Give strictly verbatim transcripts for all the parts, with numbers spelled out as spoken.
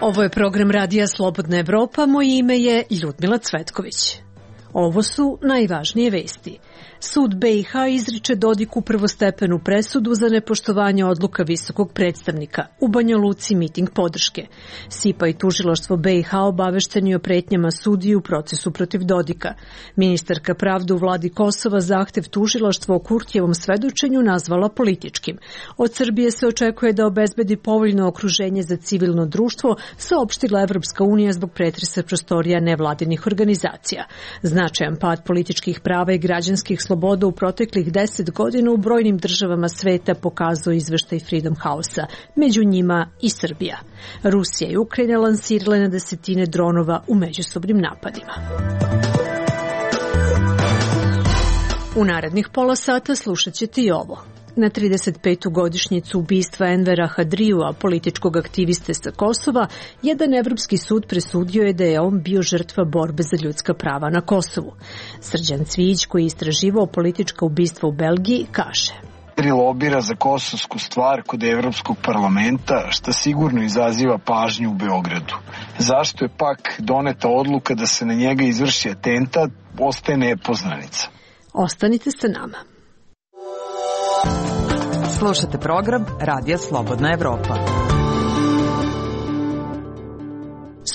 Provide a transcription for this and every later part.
Ovo je program Radija Slobodna Evropa, moje ime je Ljudmila Cvetković. Ovo su najvažnije vesti. Sud be i ha izriče Dodiku prvostepenu presudu za nepoštovanje odluka visokog predstavnika. U Banja Luci miting podrške. SIPA i tužilaštvo be i ha obavešteni o pretnjama sudiji u procesu protiv Dodika. Ministarka pravde u vladi Kosova zahtev tužilaštva o Kurtijevom svedočenju nazvala političkim. Od Srbije se očekuje da obezbedi povoljno okruženje za civilno društvo, saopštila Evropska unija zbog pretresa prostorija nevladinih organizacija. Značajan pad političkih prava i građanskih sloboda u proteklih deset godina u brojnim državama sveta pokazao izveštaj Freedom House-a, među njima i Srbija. Rusija i Ukrajina lansirale na desetine dronova u međusobnim napadima. U narednih pola sata slušat ćete i ovo. Na trideset petu godišnjicu ubistva Envera Hadrijua, političkog aktiviste sa Kosova, jedan evropski sud presudio je da je on bio žrtva borbe za ljudska prava na Kosovu. Srđan Cvijić, koji je istraživao politička ubistva u Belgiji, kaže: lobira za kosovsku stvar kod Evropskog parlamenta, što sigurno izaziva pažnju u Beogradu. Zašto je pak doneta odluka da se na njega izvrši atentat, ostaje nepoznanica. Ostanite sa nama. Slušate program Radija Slobodna Evropa.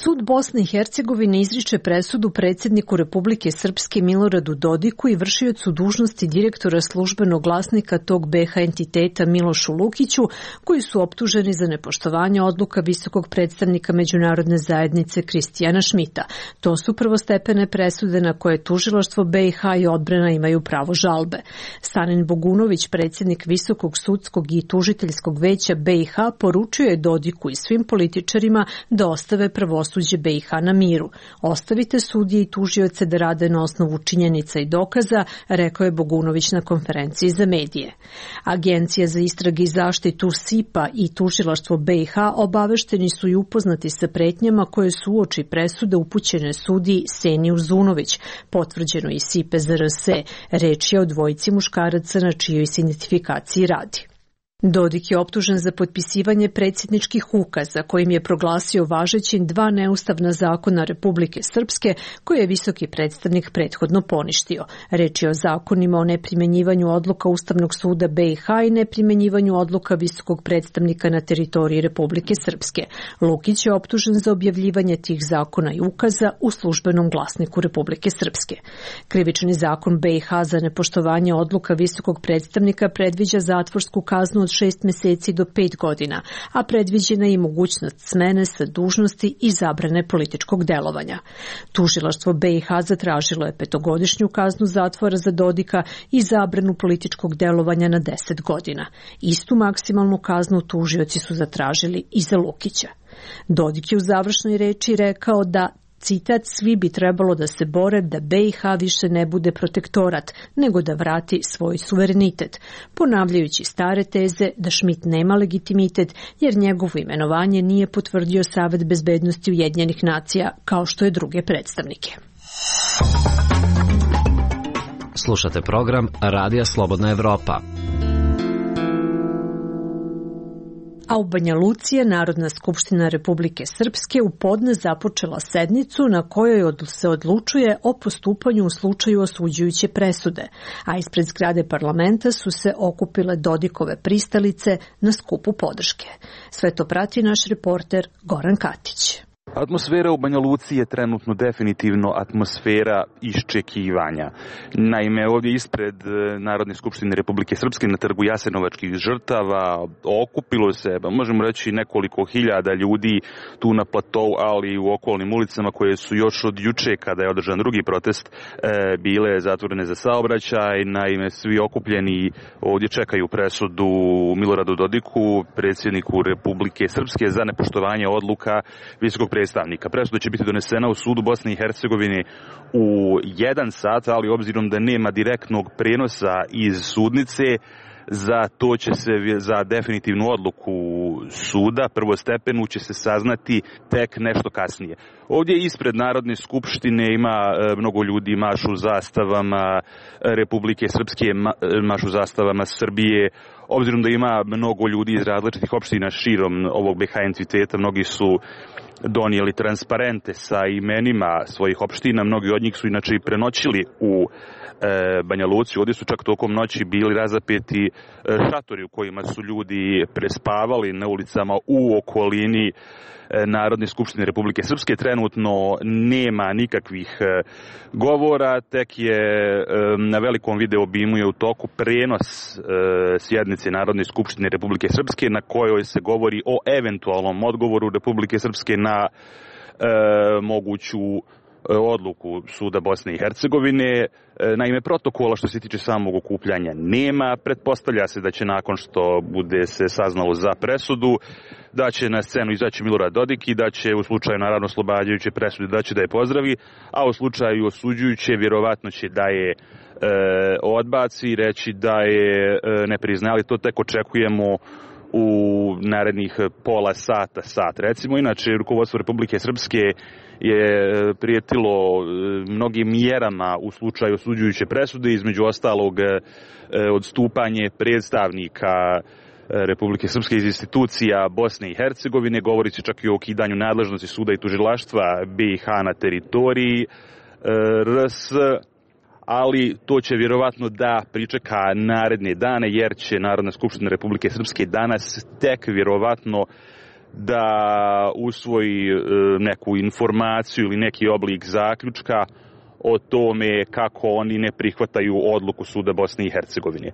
Sud Bosne i Hercegovine izriče presudu predsjedniku Republike Srpske Miloradu Dodiku i vršiocu dužnosti direktora službenog glasnika tog be ha entiteta Milošu Lukiću, koji su optuženi za nepoštovanje odluka visokog predstavnika međunarodne zajednice Kristijana Šmita. To su prvostepene presude na koje tužilaštvo be i ha i odbrana imaju pravo žalbe. Sanin Bogunović, predsjednik Visokog sudskog i tužiteljskog veća be i ha, poručio je Dodiku i svim političarima da ostave pravosuđe be i ha na miru. Ostavite sudije i tužioce da rade na osnovu činjenica i dokaza, rekao je Bogunović na konferenciji za medije. Agencija za istrage i zaštitu SIPA i tužilaštvo be i ha obavešteni su i upoznati sa pretnjama koje su uoči presude upućene sudiji Seni Uzunović, potvrđeno i SIPE za er se. Reč je o dvojici muškaraca na čijoj se identifikaciji radi. Dodik je optužen za potpisivanje predsjedničkih ukaza kojim je proglasio važećim dva neustavna zakona Republike Srpske koje je visoki predstavnik prethodno poništio. Reč je o zakonima o neprimjenjivanju odluka Ustavnog suda be i ha i neprimjenjivanju odluka visokog predstavnika na teritoriji Republike Srpske. Lukić je optužen za objavljivanje tih zakona i ukaza u službenom glasniku Republike Srpske. Krivični zakon be i ha za nepoštovanje odluka visokog predstavnika predviđa zatvorsku kaznu od šest meseci do pet godina, a predviđena je i mogućnost smene sa dužnosti i zabrane političkog delovanja. Tužilaštvo be i ha zatražilo je petogodišnju kaznu zatvora za Dodika i zabranu političkog delovanja na deset godina. Istu maksimalnu kaznu tužioci su zatražili i za Lukića. Dodik je u završnoj reči rekao da, citat, svi bi trebalo da se bore da be i ha više ne bude protektorat, nego da vrati svoj suverenitet, ponavljajući stare teze da Šmit nema legitimitet jer njegovo imenovanje nije potvrdio Savet bezbednosti Ujedinjenih nacija kao što je druge predstavnike. Slušate program Radija Slobodna Evropa. A u Banja Luci je Narodna skupština Republike Srpske u podne započela sednicu na kojoj se odlučuje o postupanju u slučaju osuđujuće presude, a ispred zgrade parlamenta su se okupile Dodikove pristalice na skupu podrške. Sve to prati naš reporter Goran Katić. Atmosfera u Banja Luci je trenutno definitivno atmosfera iščekivanja. Naime, ovdje ispred Narodne skupštine Republike Srpske na trgu Jasenovačkih žrtava okupilo se, možemo reći, nekoliko hiljada ljudi tu na platou, ali i u okolnim ulicama koje su još od juče, kada je održan drugi protest, bile zatvorene za saobraćaj. Naime, svi okupljeni ovdje čekaju presudu Miloradu Dodiku, predsjedniku Republike Srpske, za nepoštovanje odluka visokog predstavnika. Presuda će biti donesena u sudu Bosne i Hercegovine u jedan sat, ali obzirom da nema direktnog prenosa iz sudnice, za to će se, za definitivnu odluku suda, prvostepenu, će se saznati tek nešto kasnije. Ovdje ispred Narodne skupštine ima mnogo ljudi, mašu zastavama Republike Srpske, mašu zastavama Srbije. Obzirom da ima mnogo ljudi iz različitih opština širom ovog B H entiteta, mnogi su donijeli transparente sa imenima svojih opština, mnogi od njih su inače i prenoćili u e, Banja Luci. Ovdje su čak tokom noći bili razapeti e, šatori u kojima su ljudi prespavali na ulicama u okolini Narodne skupštine Republike Srpske. Trenutno nema nikakvih govora, tek je na velikom video obimu je u toku prenos sjednice Narodne skupštine Republike Srpske na kojoj se govori o eventualnom odgovoru Republike Srpske na e, moguću odluku Suda Bosne i Hercegovine. Naime, protokola što se tiče samog okupljanja nema. Pretpostavlja se da će nakon što bude se saznalo za presudu, da će na scenu izaći Milorad Dodik i da će u slučaju naravno oslobađajuće presude da će da je pozdravi, a u slučaju osuđujuće vjerovatno će da je e, odbaci i reći da je e, ne priznali. To tek očekujemo u narednih pola sata, sat. Recimo, inače, rukovodstvo Republike Srpske je prijetilo mnogim mjerama u slučaju osuđujuće presude, između ostalog odstupanje predstavnika Republike Srpske iz institucija Bosne i Hercegovine, govori se čak i o ukidanju nadležnosti suda i tužilaštva B i H na teritoriji R S, ali to će vjerovatno da pričeka naredne dane, jer će Narodna skupština Republike Srpske danas tek vjerovatno da usvoji neku informaciju ili neki oblik zaključka o tome kako oni ne prihvataju odluku Suda Bosne i Hercegovine. E,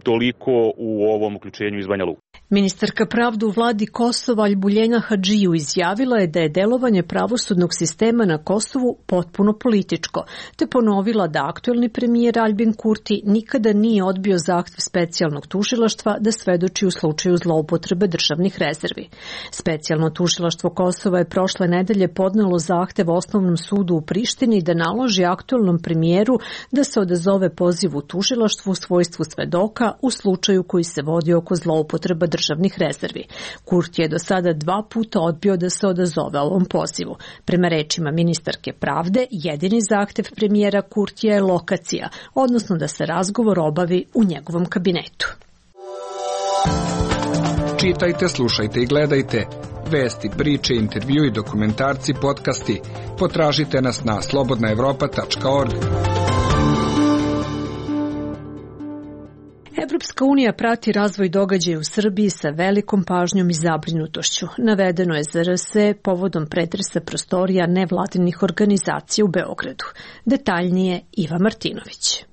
toliko u ovom uključenju iz Banja Luke. Ministarka pravde u vladi Kosova Albuljena Hadžiju izjavila je da je delovanje pravosudnog sistema na Kosovu potpuno političko, te ponovila da aktuelni premijer Albin Kurti nikada nije odbio zahtev specijalnog tužilaštva da svedoči u slučaju zloupotrebe državnih rezervi. Specijalno tužilaštvo Kosova je prošle nedelje podnelo zahtev Osnovnom sudu u Prištini da naloži aktuelnom premijeru da se odazove pozivu tužilaštvu u svojstvu svedoka u slučaju koji se vodi oko zloupotreba državnih rezervi. Kurti je do sada dva puta odbio da se odazove ovom pozivu. Prema rečima ministarke pravde, jedini zahtev premijera Kurtija je lokacija, odnosno da se razgovor obavi u njegovom kabinetu. Čitajte, slušajte i gledajte vesti, priče, intervju i dokumentarci, podcasti. Potražite nas na slobodna evropa tačka org. Evropska unija prati razvoj događaja u Srbiji sa velikom pažnjom i zabrinutošću. Navedeno je za R S povodom pretresa prostorija nevladinih organizacija u Beogradu. Detaljnije Iva Martinović.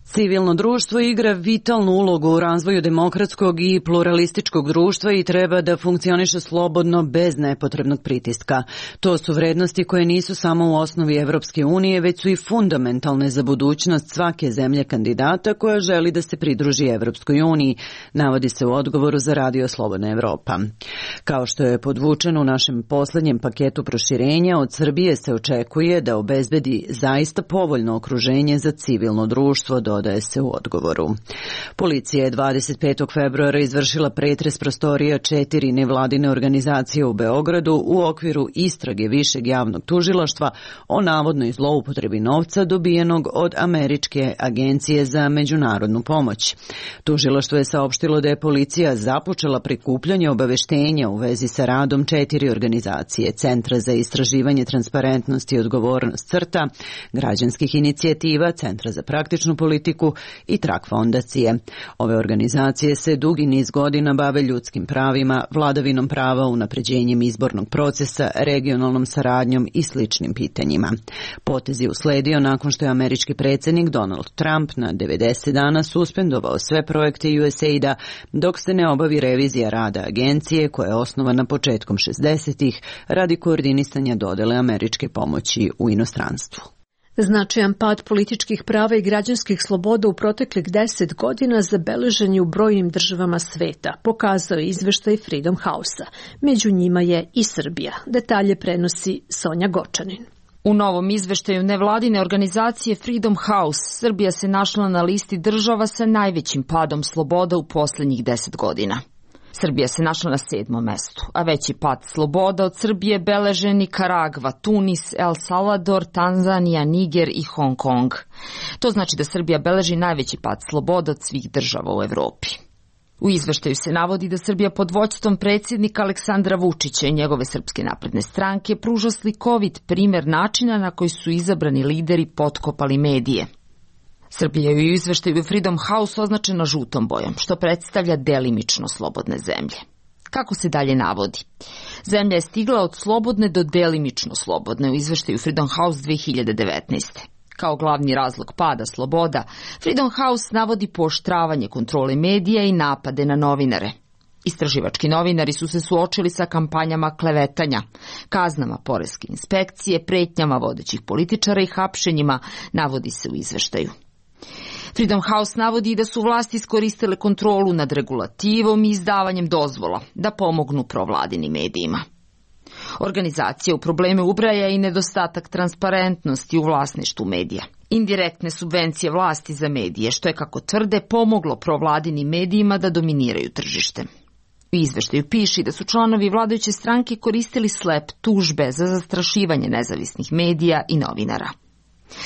Civilno društvo igra vitalnu ulogu u razvoju demokratskog i pluralističkog društva i treba da funkcioniše slobodno bez nepotrebnog pritiska. To su vrednosti koje nisu samo u osnovi Evropske unije, već su i fundamentalne za budućnost svake zemlje kandidata koja želi da se pridruži Evropskoj uniji, navodi se u odgovoru za Radio Slobodna Evropa. Kao što je podvučeno u našem poslednjem paketu proširenja, od Srbije se očekuje da obezbedi zaista povoljno okruženje za civilno društvo, dodaje se u odgovoru. Policija je dvadeset petog februara izvršila pretres prostorija četiri nevladine organizacije u Beogradu u okviru istrage Višeg javnog tužilaštva o navodnoj zloupotrebi novca dobijenog od Američke agencije za međunarodnu pomoć. Tužilaštvo je saopštilo da je policija započela prikupljanje obaveštenja u vezi sa radom četiri organizacije: Centra za istraživanje transparentnosti i odgovornost CRTA, građanskih inicijativa, Centra za praktičnu politiku i Trak fondacije. Ove organizacije se dugi niz godina bave ljudskim pravima, vladavinom prava, unapređenjem izbornog procesa, regionalnom saradnjom i sličnim pitanjima. Potez je usledio nakon što je američki predsjednik Donald Trump na devedeset dana suspendovao sve projekte U S A I D-a dok se ne obavi revizija rada agencije koja je osnovana početkom šezdesetih radi koordinisanja dodele američke pomoći u inostranstvu. Značajan pad političkih prava i građanskih sloboda u proteklih deset godina zabeležen je u brojnim državama sveta, pokazao je izveštaj Freedom House-a. Među njima je i Srbija. Detalje prenosi Sonja Gočanin. U novom izveštaju nevladine organizacije Freedom House, Srbija se našla na listi država sa najvećim padom sloboda u posljednjih deset godina. Srbija se našla na sedmom mestu, a veći pad sloboda od Srbije beleže Nikaragva, Tunis, El Salvador, Tanzanija, Niger i Hong Kong. To znači da Srbija beleži najveći pad sloboda od svih država u Evropi. U izveštaju se navodi da Srbija pod vođstvom predsjednika Aleksandra Vučića i njegove Srpske napredne stranke pruža slikovit primer načina na koji su izabrani lideri potkopali medije. Srbija je u izveštaju Freedom House označena žutom bojom, što predstavlja delimično slobodne zemlje. Kako se dalje navodi? Zemlja je stigla od slobodne do delimično slobodne u izveštaju Freedom House dve hiljade devetnaeste. Kao glavni razlog pada sloboda, Freedom House navodi pooštravanje kontrole medija i napade na novinare. Istraživački novinari su se suočili sa kampanjama klevetanja, kaznama poreske inspekcije, pretnjama vodećih političara i hapšenjima, navodi se u izveštaju. Freedom House navodi da su vlasti iskoristile kontrolu nad regulativom i izdavanjem dozvola da pomognu provladinim medijima. Organizacija u probleme ubraja i nedostatak transparentnosti u vlasništvu medija. Indirektne subvencije vlasti za medije, što je, kako tvrde, pomoglo provladinim medijima da dominiraju tržište. U izveštaju piše da su članovi vladajuće stranke koristili slep tužbe za zastrašivanje nezavisnih medija i novinara.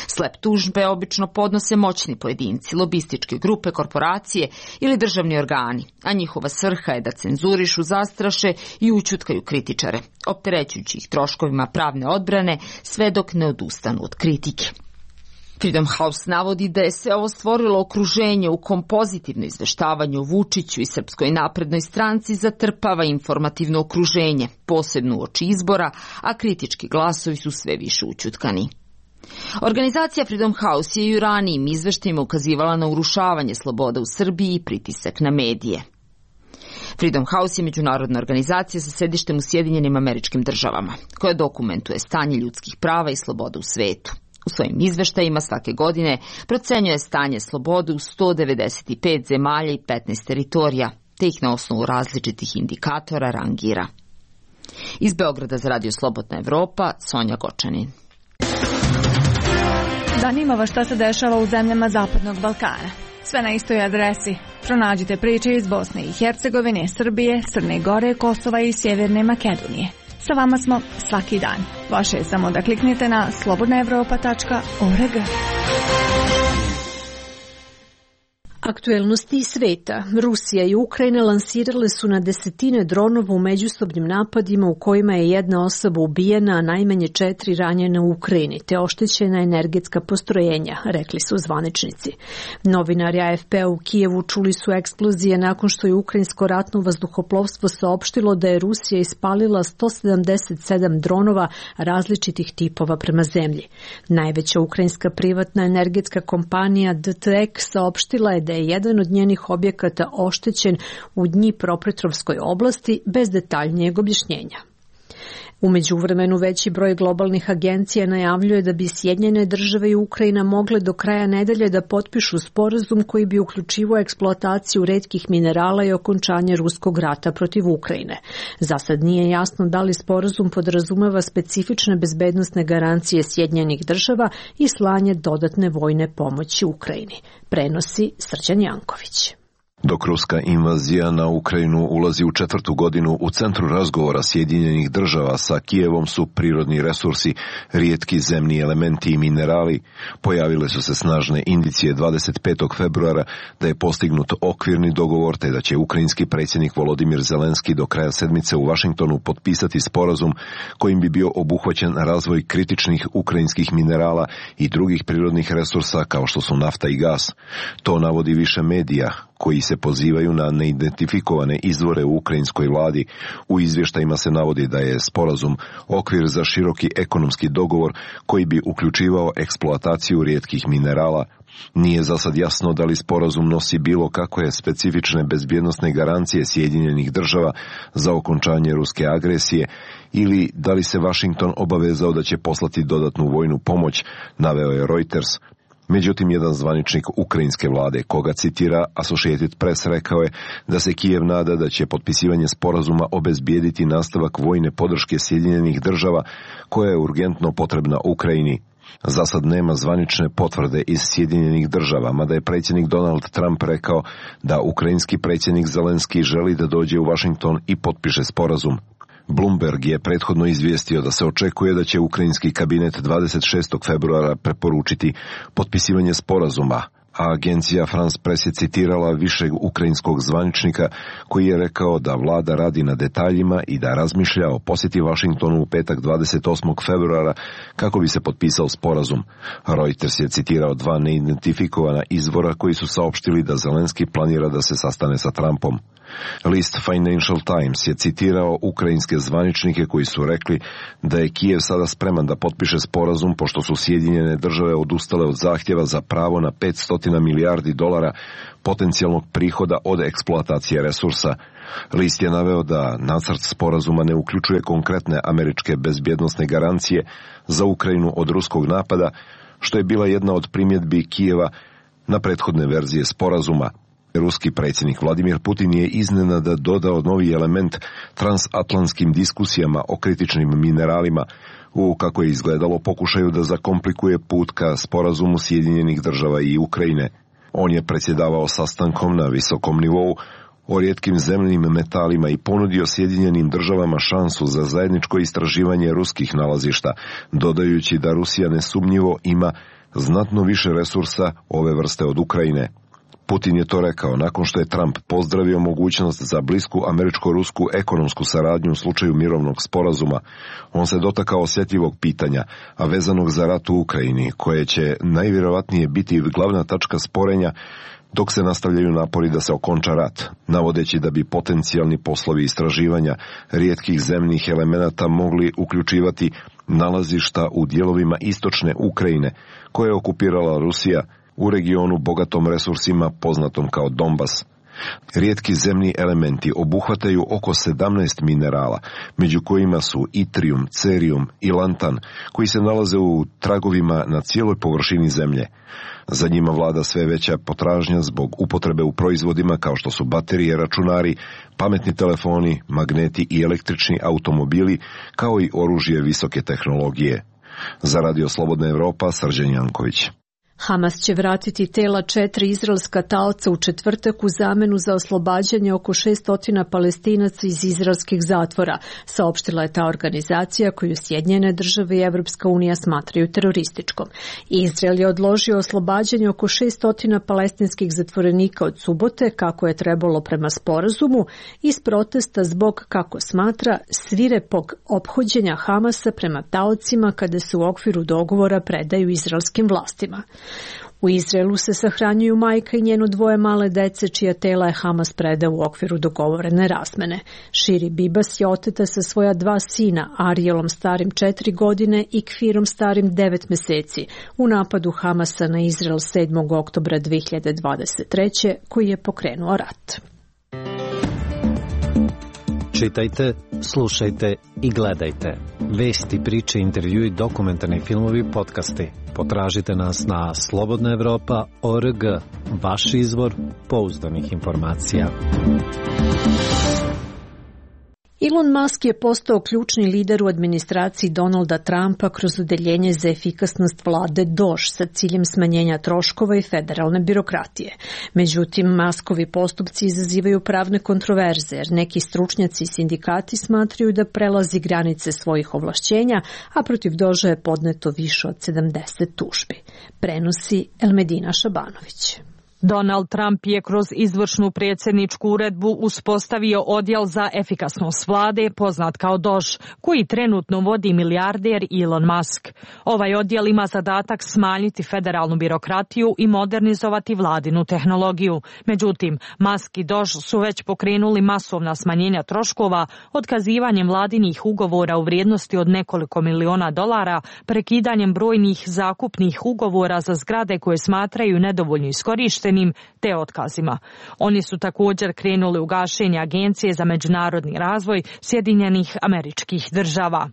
Slep tužbe obično podnose moćni pojedinci, lobističke grupe, korporacije ili državni organi, a njihova svrha je da cenzurišu, zastraše i ućutkaju kritičare, opterećujući ih troškovima pravne odbrane sve dok ne odustanu od kritike. Freedom House navodi da je sve ovo stvorilo okruženje u kom pozitivno izveštavanje o Vučiću i Srpskoj naprednoj stranci zatrpava informativno okruženje, posebno uoči izbora, a kritički glasovi su sve više ućutkani. Organizacija Freedom House je i u ranijim izveštajima ukazivala na urušavanje sloboda u Srbiji i pritisak na medije. Freedom House je međunarodna organizacija sa sedištem u Sjedinjenim Američkim Državama, koja dokumentuje stanje ljudskih prava i sloboda u svetu. U svojim izveštajima svake godine procenjuje stanje slobode u sto devedeset pet zemalja i petnaest teritorija, te ih na osnovu različitih indikatora rangira. Iz Beograda za Radio Slobodna Evropa, Sonja Gočanin. Zanima vas šta se dešava u zemljama Zapadnog Balkana. Sve na istoj adresi. Pronađite priče iz Bosne i Hercegovine, Srbije, Crne Gore, Kosova i Sjeverne Makedonije. Sa vama smo svaki dan. Vaše je samo da kliknete na slobodna evropa tačka org. Aktuelnosti sveta. Rusija i Ukrajina lansirale su na desetine dronova u međusobnim napadima u kojima je jedna osoba ubijena, a najmanje četiri ranjena u Ukrajini, te oštećena energetska postrojenja, rekli su zvaničnici. Novinari A F P-a u Kijevu čuli su eksplozije nakon što je ukrajinsko ratno vazduhoplovstvo saopštilo da je Rusija ispalila sto sedamdeset sedam dronova različitih tipova prema zemlji. Najveća ukrajinska privatna energetska kompanija D T E K saopštila je da je jedan od njenih objekata oštećen u Dnjipropetrovskoj oblasti bez detaljnijeg objašnjenja. U međuvremenu veći broj globalnih agencija najavljuje da bi Sjedinjene države i Ukrajina mogle do kraja nedelje da potpišu sporazum koji bi uključivao eksploataciju retkih minerala i okončanje ruskog rata protiv Ukrajine. Za sad nije jasno da li sporazum podrazumeva specifične bezbednosne garancije Sjedinjenih država i slanje dodatne vojne pomoći Ukrajini, prenosi Srđan Janković. Dok ruska invazija na Ukrajinu ulazi u četvrtu godinu, u centru razgovora Sjedinjenih država sa Kijevom su prirodni resursi, rijetki zemni elementi i minerali. Pojavile su se snažne indicije dvadeset petog februara da je postignut okvirni dogovor te da će ukrajinski predsjednik Volodimir Zelenski do kraja sedmice u Vašingtonu potpisati sporazum kojim bi bio obuhvaćen razvoj kritičnih ukrajinskih minerala i drugih prirodnih resursa kao što su nafta i gas. To navodi više medija koji se pozivaju na neidentifikovane izvore u ukrajinskoj vladi. U izvještajima se navodi da je sporazum okvir za široki ekonomski dogovor koji bi uključivao eksploataciju rijetkih minerala. Nije za sad jasno da li sporazum nosi bilo kakve specifične bezbjednosne garancije Sjedinjenih država za okončanje ruske agresije ili da li se Washington obavezao da će poslati dodatnu vojnu pomoć, naveo je Reuters. Međutim, jedan zvaničnik ukrajinske vlade, koga citira Associated Press, rekao je da se Kijev nada da će potpisivanje sporazuma obezbijediti nastavak vojne podrške Sjedinjenih država koja je urgentno potrebna Ukrajini. Za sad nema zvanične potvrde iz Sjedinjenih država, mada je predsjednik Donald Trump rekao da ukrajinski predsjednik Zelenski želi da dođe u Washington i potpiše sporazum. Bloomberg je prethodno izvijestio da se očekuje da će ukrajinski kabinet dvadeset šestog februara preporučiti potpisivanje sporazuma, a agencija France Press je citirala višeg ukrajinskog zvaničnika koji je rekao da vlada radi na detaljima i da razmišlja o posjeti Washingtonu u petak dvadeset osmog februara kako bi se potpisao sporazum. Reuters je citirao dva neidentifikovana izvora koji su saopštili da Zelenski planira da se sastane sa Trumpom. List Financial Times je citirao ukrajinske zvaničnike koji su rekli da je Kijev sada spreman da potpiše sporazum pošto su Sjedinjene države odustale od zahtjeva za pravo na petsto milijardi dolara potencijalnog prihoda od eksploatacije resursa. List je naveo da nacrt sporazuma ne uključuje konkretne američke bezbjednosne garancije za Ukrajinu od ruskog napada, što je bila jedna od primjedbi Kijeva na prethodne verzije sporazuma. Ruski predsjednik Vladimir Putin je iznenada dodao novi element transatlantskim diskusijama o kritičnim mineralima u, kako je izgledalo, pokušaju da zakomplikuje put ka sporazumu Sjedinjenih država i Ukrajine. On je predsjedavao sastankom na visokom nivou o rijetkim zemljinim metalima i ponudio Sjedinjenim državama šansu za zajedničko istraživanje ruskih nalazišta, dodajući da Rusija nesumnjivo ima znatno više resursa ove vrste od Ukrajine. Putin je to rekao nakon što je Trump pozdravio mogućnost za blisku američko-rusku ekonomsku saradnju u slučaju mirovnog sporazuma. On se dotakao osjetljivog pitanja, a vezanog za rat u Ukrajini, koje će najvjerovatnije biti glavna tačka sporenja dok se nastavljaju napori da se okonča rat, navodeći da bi potencijalni poslovi istraživanja rijetkih zemnih elemenata mogli uključivati nalazišta u dijelovima istočne Ukrajine, koje je okupirala Rusija, u regionu bogatom resursima poznatom kao Donbas. Rijetki zemni elementi obuhvataju oko sedamnaest minerala, među kojima su itrijum, cerijum i lantan, koji se nalaze u tragovima na cijeloj površini zemlje. Za njima vlada sve veća potražnja zbog upotrebe u proizvodima kao što su baterije, računari, pametni telefoni, magneti i električni automobili, kao i oružje visoke tehnologije. Za Radio Slobodna Evropa, Srđan Janković. Hamas će vratiti tela četiri izraelska taoca u četvrtak u zamenu za oslobađanje oko šessto Palestinaca iz izraelskih zatvora, saopštila je ta organizacija koju Sjedinjene države i Evropska unija smatraju terorističkom. Izrael je odložio oslobađanje oko šessto palestinskih zatvorenika od subote, kako je trebalo prema sporazumu, iz protesta zbog, kako smatra, svirepog ophođenja Hamasa prema taocima kada se u okviru dogovora predaju izraelskim vlastima. U Izraelu se sahranjuju majka i njeno dvoje male dece, čija tela je Hamas predao u okviru dogovorene razmene. Širi Bibas je oteta sa svoja dva sina, Arielom starim četiri godine i Kfirom starim devet meseci, u napadu Hamasa na Izrael sedmog oktobra dve hiljade dvadeset treće koji je pokrenuo rat. Čitajte, slušajte i gledajte. Vesti, priče, intervjui, dokumentarni filmovi, podcasti. Potražite nas na slobodna evropa tačka org, vaš izvor pouzdanih informacija. Elon Musk je postao ključni lider u administraciji Donalda Trumpa kroz odeljenje za efikasnost vlade D O Ž sa ciljem smanjenja troškova i federalne birokratije. Međutim, Muskovi postupci izazivaju pravne kontroverze, jer neki stručnjaci i sindikati smatraju da prelazi granice svojih ovlašćenja, a protiv D O Ž-a je podneto više od sedamdeset tužbi. Prenosi Elmedina Šabanović. Donald Trump je kroz izvršnu predsjedničku uredbu uspostavio odjel za efikasnost vlade, poznat kao D O Ž, koji trenutno vodi milijarder Elon Musk. Ovaj odjel ima zadatak smanjiti federalnu birokratiju i modernizovati vladinu tehnologiju. Međutim, Musk i D O Ž su već pokrenuli masovna smanjenja troškova otkazivanjem vladinih ugovora u vrijednosti od nekoliko miliona dolara, prekidanjem brojnih zakupnih ugovora za zgrade koje smatraju nedovoljno iskorištene otpuštenim te otkazima. Oni su također krenuli u gašenje Agencije za međunarodni razvoj Sjedinjenih Američkih Država.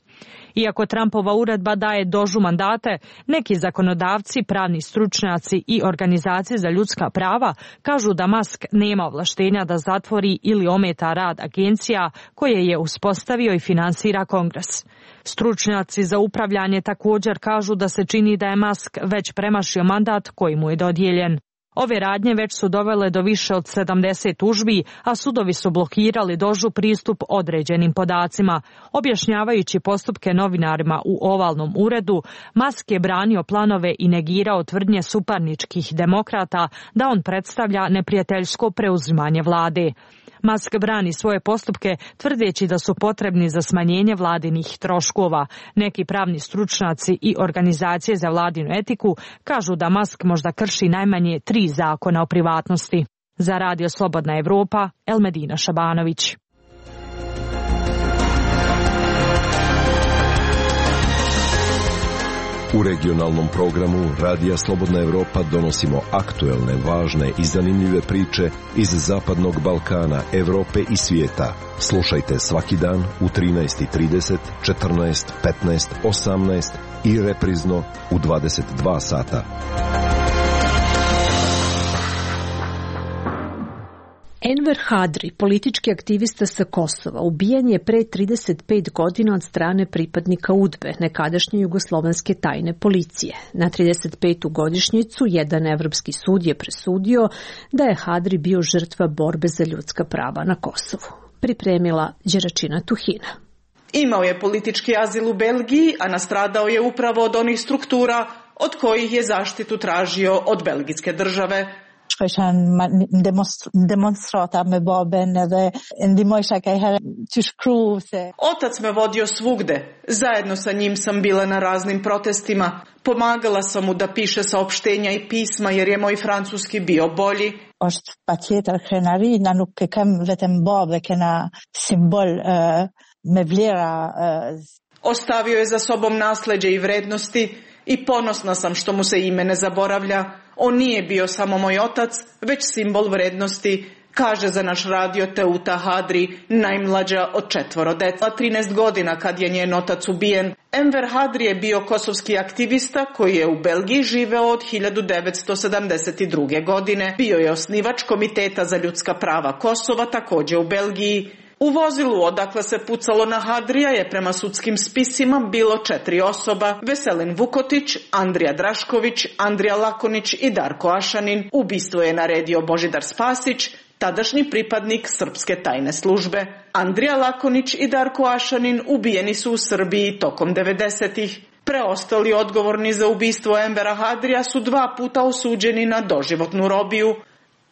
Iako Trumpova uredba daje dožu mandate, neki zakonodavci, pravni stručnjaci i organizacije za ljudska prava kažu da Musk nema ovlaštenja da zatvori ili ometa rad agencija koje je uspostavio i finansira Kongres. Stručnjaci za upravljanje također kažu da se čini da je Musk već premašio mandat koji mu je dodijeljen. Ove radnje već su dovele do više od sedamdeset tužbi, a sudovi su blokirali dožu pristup određenim podacima. Objašnjavajući postupke novinarima u ovalnom uredu, Musk je branio planove i negirao tvrdnje suparničkih demokrata da on predstavlja neprijateljsko preuzimanje vlade. Musk brani svoje postupke tvrdeći da su potrebni za smanjenje vladinih troškova. Neki pravni stručnjaci i organizacije za vladinu etiku kažu da Musk možda krši najmanje tri zakona o privatnosti. Za Radio Slobodna Evropa, Elmedina Šabanović. U regionalnom programu Radija Slobodna Evropa donosimo aktuelne, važne i zanimljive priče iz Zapadnog Balkana, Evrope i svijeta. Slušajte svaki dan u trinaest i trideset, četrnaest, petnaest, osamnaest i reprizno u dvadeset dva sata. Enver Hadri, politički aktivista sa Kosova, ubijen je pre trideset pet godina od strane pripadnika UDBE, nekadašnje jugoslovenske tajne policije. Na trideset petu godišnjicu jedan evropski sud je presudio da je Hadri bio žrtva borbe za ljudska prava na Kosovu. Pripremila Đeračina Tuhina. Imao je politički azil u Belgiji, a nastradao je upravo od onih struktura od kojih je zaštitu tražio od belgijske države. Otac me vodio svugde. Zajedno sa njim sam bila na raznim protestima. Pomagala sam mu da piše saopštenja i pisma jer je moj francuski bio bolji. Ostavio je za sobom nasleđe i vrednosti i ponosna sam što mu se ime ne zaboravlja. On nije bio samo moj otac, već simbol vrednosti, kaže za naš radio Teuta Hadri, najmlađa od četvoro dece. trinaest godina kad je njen otac ubijen. Enver Hadri je bio kosovski aktivista koji je u Belgiji živeo od hiljadu devetsto sedamdeset druge. godine. Bio je osnivač Komiteta za ljudska prava Kosova, također u Belgiji. U vozilu odakle se pucalo na Hadrija je prema sudskim spisima bilo četiri osoba: Veselin Vukotić, Andrija Drašković, Andrija Lakonić i Darko Ašanin. Ubistvo je naredio Božidar Spasić, tadašnji pripadnik srpske tajne službe. Andrija Lakonić i Darko Ašanin ubijeni su u Srbiji tokom devedesetih. Preostali odgovorni za ubistvo Envera Hadrija su dva puta osuđeni na doživotnu robiju.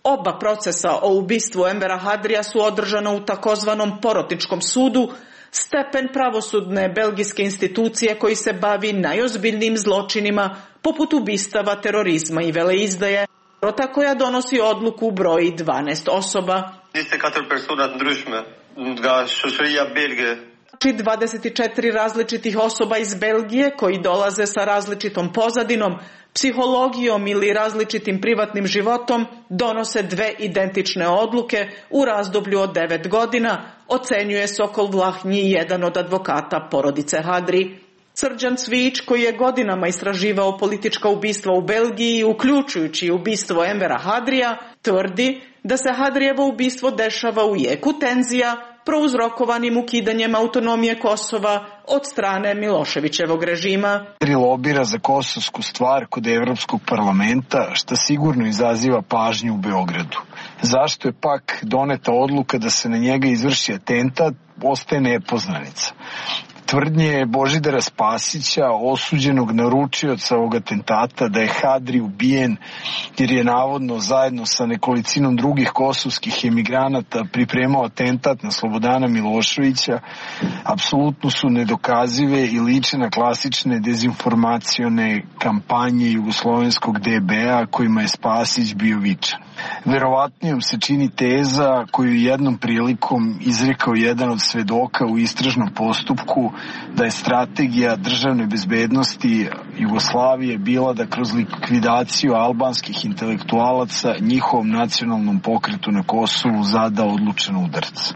Oba procesa o ubistvu Envera Hadrija su održana u takozvanom porotničkom sudu, stepen pravosudne belgijske institucije koji se bavi najozbiljnijim zločinima poput ubistava, terorizma i veleizdaje, rota koja donosi odluku broji dvanaest osoba. dvadeset četiri različitih osoba iz Belgije koji dolaze sa različitom pozadinom, psihologijom ili različitim privatnim životom donose dve identične odluke u razdoblju od devet godina, ocenjuje Sokol Vlahnji, jedan od advokata porodice Hadri. Srđan Cvijić, koji je godinama istraživao politička ubistva u Belgiji, uključujući ubistvo Envera Hadrija, tvrdi da se Hadrijevo ubistvo dešava u jeku tenzija prouzrokovanim ukidanjem autonomije Kosova od strane Miloševićevog režima. Hadri lobira za kosovsku stvar kod Evropskog parlamenta, što sigurno izaziva pažnju u Beogradu. Zašto je pak doneta odluka da se na njega izvrši atentat, ostaje nepoznanica. Tvrdnje Božidara Spasića, osuđenog naručioca ovog atentata, da je Hadri ubijen jer je navodno zajedno sa nekolicinom drugih kosovskih emigranata pripremao atentat na Slobodana Miloševića, apsolutno su nedokazive i liče na klasične dezinformacione kampanje jugoslovenskog D B A kojima je Spasić bio vičan. Verovatnijom se čini teza koju jednom prilikom izrekao jedan od svedoka u istražnom postupku, da je strategija državne bezbednosti Jugoslavije bila da kroz likvidaciju albanskih intelektualaca njihovom nacionalnom pokretu na Kosovu zada odlučan udarac.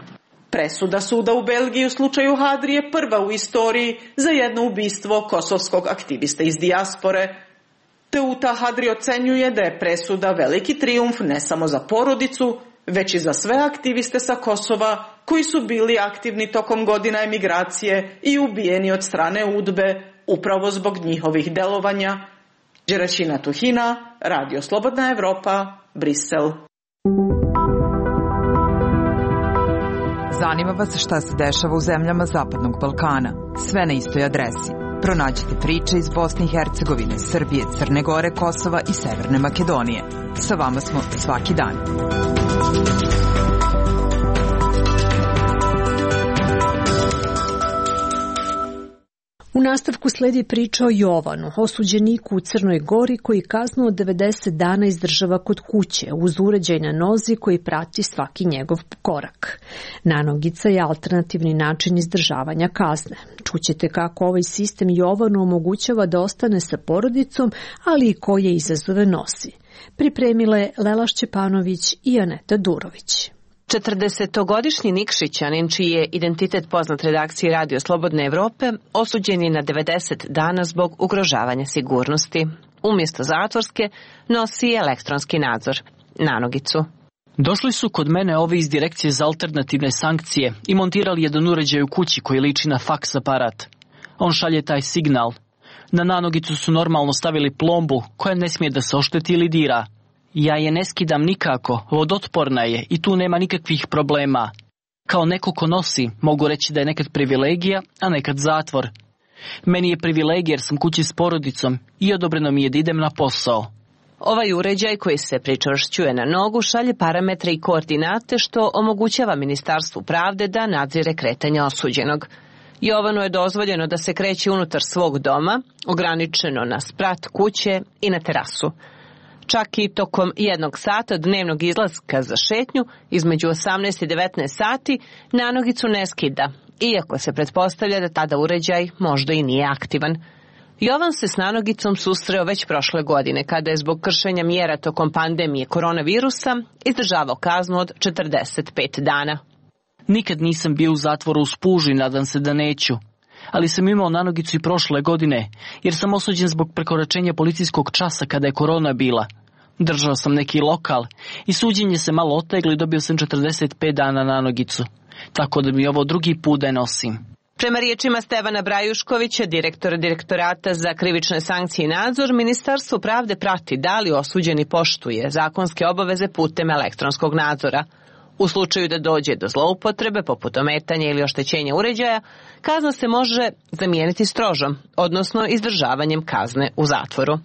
Presuda suda u Belgiji u slučaju Hadri je prva u istoriji za jedno ubistvo kosovskog aktivista iz dijaspore. Teuta Hadri ocenjuje da je presuda veliki trijumf ne samo za porodicu, već i za sve aktiviste sa Kosova koji su bili aktivni tokom godina emigracije i ubijeni od strane UDBE upravo zbog njihovih delovanja. Đeraćina Tuhina, Radio Slobodna Evropa, Brisel. Zanima vas šta se dešava u zemljama Zapadnog Balkana. Sve na istoj adresi. Pronađite priče iz Bosne i Hercegovine, Srbije, Crne Gore, Kosova i Severne Makedonije. Sa vama smo svaki dan. U nastavku sledi priča o Jovanu, osuđeniku u Crnoj Gori koji kaznu od devedeset dana izdržava kod kuće uz uređaj na nozi koji prati svaki njegov korak. Nanogica je alternativni način izdržavanja kazne. Čućete kako ovaj sistem Jovanu omogućava da ostane sa porodicom, ali i koje izazove nosi. Pripremile Lela Šćepanović i Aneta Durović. četrdesetogodišnji Nikšićanin, čiji je identitet poznat redakciji Radio Slobodne Evrope, osuđen je na devedeset dana zbog ugrožavanja sigurnosti. Umjesto zatvorske nosi elektronski nadzor, nanogicu. Došli su kod mene ovi iz Direkcije za alternativne sankcije i montirali jedan uređaj u kući koji liči na faks aparat. On šalje taj signal. Na nanogicu su normalno stavili plombu koja ne smije da se ošteti ili dira. Ja je ne skidam nikako, vodotporna je i tu nema nikakvih problema. Kao neko ko nosi, mogu reći da je nekad privilegija, a nekad zatvor. Meni je privilegija jer sam kući s porodicom i odobreno mi je da idem na posao. Ovaj uređaj koji se pričvršćuje na nogu šalje parametre i koordinate što omogućava Ministarstvu pravde da nadzire kretanje osuđenog. Jovanu je dozvoljeno da se kreće unutar svog doma, ograničeno na sprat kuće i na terasu. Čak i tokom jednog sata dnevnog izlaska za šetnju, između osamnaest i devetnaest sati, nanogicu ne skida, iako se pretpostavlja da tada uređaj možda i nije aktivan. Jovan se s nanogicom susreo već prošle godine, kada je zbog kršenja mjera tokom pandemije koronavirusa izdržavao kaznu od četrdeset pet dana. Nikad nisam bio u zatvoru u Spužu i nadam se da neću. Ali sam imao nanogicu i prošle godine, jer sam osuđen zbog prekoračenja policijskog časa kada je korona bila. Držao sam neki lokal i suđenje se malo oteglo i dobio sam četrdeset pet dana nanogicu. Tako da mi ovo drugi put da je nosim. Prema riječima Stevana Brajuškovića, direktora Direktorata za krivične sankcije i nadzor, Ministarstvo pravde prati da li osuđeni poštuje zakonske obaveze putem elektronskog nadzora. U slučaju da dođe do zloupotrebe, poput ometanja ili oštećenja uređaja, kazna se može zamijeniti strožom, odnosno izdržavanjem kazne u zatvoru.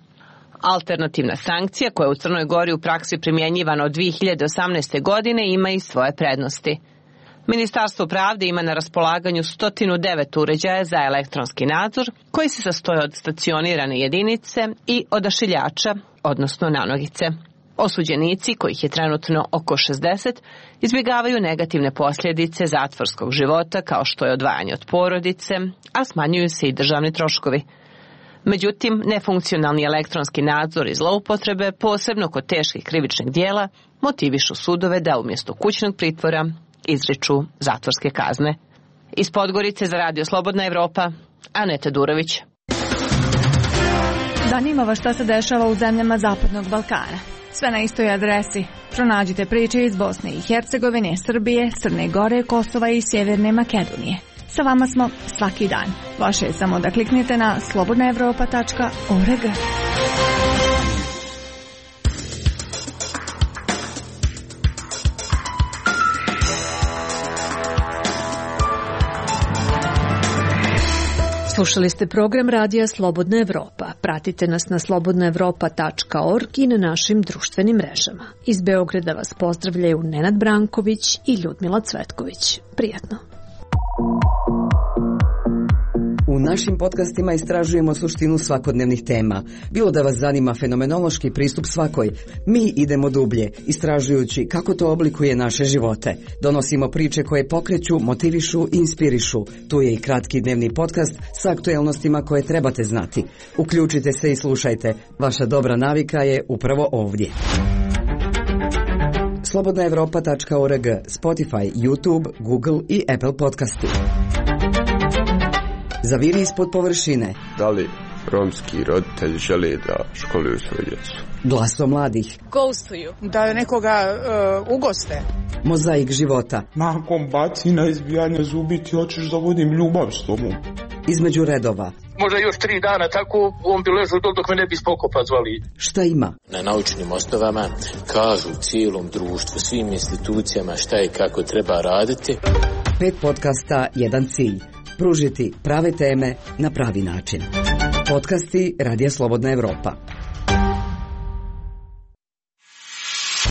Alternativna sankcija, koja je u Crnoj Gori u praksi primjenjivana od dvije hiljade osamnaeste. godine, ima i svoje prednosti. Ministarstvo pravde ima na raspolaganju sto devet uređaja za elektronski nadzor, koji se sastoje od stacionirane jedinice i odašiljača, odnosno nanogice. Osuđenici, kojih je trenutno oko šezdeset, izbjegavaju negativne posljedice zatvorskog života kao što je odvajanje od porodice, a smanjuju se i državni troškovi. Međutim, nefunkcionalni elektronski nadzor i zloupotrebe, posebno kod teških krivičnih dijela, motivišu sudove da umjesto kućnog pritvora izriču zatvorske kazne. Iz Podgorice za Radio Slobodna Evropa, Aneta Durović. Zanima vas šta se dešava u zemljama Zapadnog Balkana. Sve na istoj adresi. Pronađite priče iz Bosne i Hercegovine, Srbije, Crne Gore, Kosova i Sjeverne Makedonije. Sa vama smo svaki dan. Vaše je samo da kliknete na slobodna evropa tačka org. Slušali ste program Radija Slobodna Evropa. Pratite nas na slobodna evropa tačka org i na našim društvenim mrežama. Iz Beograda vas pozdravljaju Nenad Branković i Ljudmila Cvetković. Prijatno. U našim podcastima istražujemo suštinu svakodnevnih tema. Bilo da vas zanima fenomenološki pristup svakoj, mi idemo dublje, istražujući kako to oblikuje naše živote. Donosimo priče koje pokreću, motivišu i inspirišu. Tu je i kratki dnevni podcast sa aktuelnostima koje trebate znati. Uključite se i slušajte. Vaša dobra navika je upravo ovdje. slobodna evropa tačka org, Spotify, YouTube, Google i Apple podcasti. Zaviri ispod površine. Da li romski roditelji žele da školuju svoju djecu? Glaso mladih. Ghostuju. Da nekoga uh, ugoste. Mozaik života. Nakon bacina, izbijanja zubi ti hoćeš da vodim ljubav s tobom. Između redova. Možda još tri dana tako on bi ležao dok, dok me ne bi spokopa zvali. Šta ima? Na naučnim osnovama kažu cijelom društvu, svim institucijama šta i kako treba raditi. Pet podcasta, jedan cilj. Pružiti prave teme na pravi način. Podcasti Radija Slobodna Evropa.